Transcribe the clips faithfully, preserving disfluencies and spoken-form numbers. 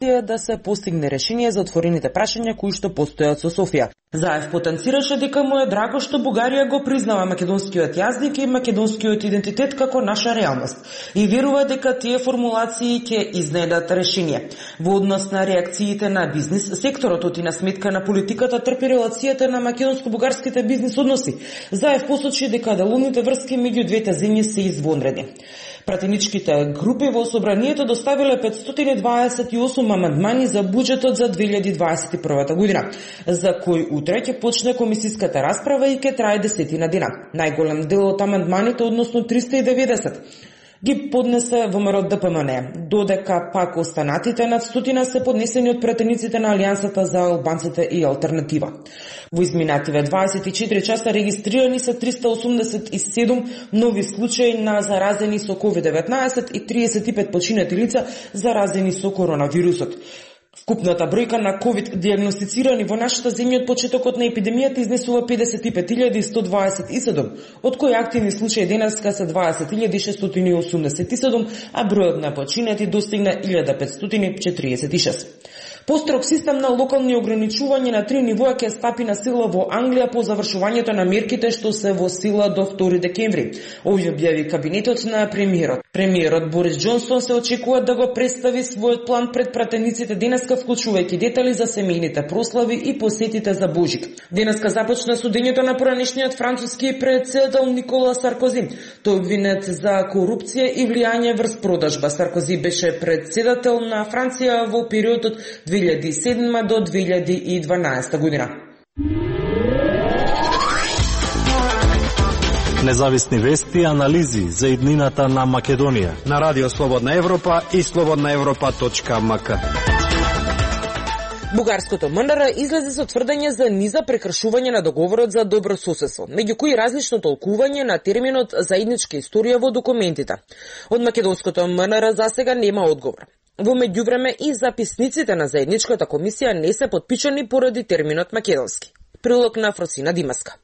е да се постигне решение за отворените прашања кои што постојат со Софија. Заев потенцираше дека му е драго што Бугарија го признава македонскиот јазик и македонскиот идентитет како наша реалност и верува дека тие формулации ќе изнедат решение. Во однос на реакциите на бизнис секторот и на сметка на политиката трпи релацијата на македонско-бугарските бизнис односи. Заев посочи дека деловните врски меѓу двете земји се извонредни. Пратеничките групи во собранието доставиле петстотини дваесет и осум амандмани за буџетот за две илјади дваесет и прва година, за кој утре ќе почне комисиската расправа и ќе трае десетина дена. Најголем дел од амандманите, односно триста и деветдесет, ги поднесе ВМРО Д П М Н, додека пак останатите над стотина се поднесени од пратениците на Алијансата за албанците и алтернатива. Во изминативе дваесет и четири часа регистрирани се триста осумдесет и седум нови случаи на заразени со ковид деветнаесет и триесет и пет починати лица заразени со коронавирусот. Вкупната бројка на ковид дијагностицирани во нашата земја од почетокот на епидемијата изнесува педесет и пет илјади сто дваесет и седум, од кои активни случаи денеска се дваесет илјади шестстотини и осумдесет и седум, а бројот на починати достигна илјада петстотини и четириесет и шест. Построг систем на локални ограничувања на три нивоа ќе стапи на сила во Англија по завршувањето на мерките што се во сила до втори декември. Овој објави кабинетот на премиерот. Премиерот Борис Џонсон се очекува да го представи својот план пред пратениците денеска, вклучувајќи детали за семејните прослави и посетите за Божик. Денеска започна судењето на поранешниот француски претседател Никола Саркози. Тој обвинет за корупција и влијање врз продажба. Саркози беше претседател на Франција во периодот две илјади и седма до две илјади и дванаесета година. Независни вести и анализи за иднината на Македонија на Радио Слободна Европа и слободна европа точка ем ка. Бугарското М Н Р излезе со тврдење за низа прекршување на договорот за добро соседство, меѓу кои различно толкување на терминот заедничка историја во документите. Од македонското М Н Р засега нема одговор. Во меѓувреме и записниците на заедничката комисија не се потпишани поради терминот македонски. Прилог на Фросина Димаска.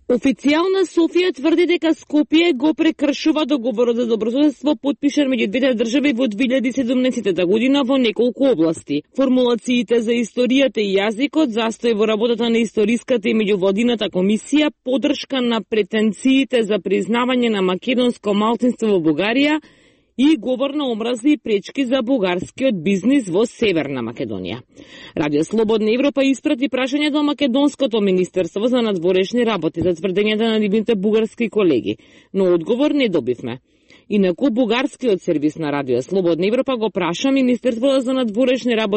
Официјална Софија тврди дека Скопје го прекршува договорот за добрососедство потпишан меѓу двете држави во две илјади и седумнаесета година во неколку области. Формулациите за историјата и јазикот, застој во работата на историската и меѓувладината комисија, поддршка на претенциите за признавање на македонско малцинство во Бугарија и говор на омрази и пречки за бугарскиот бизнис во Северна Македонија. Радио Слободна Европа испрати прашање до Македонското министерство за надворешни работи за тврдењата на нивните бугарски колеги, но одговор не добивме. Инаку бугарскиот сервис на Радио Слободна Европа го праша Министерството за надворешни работи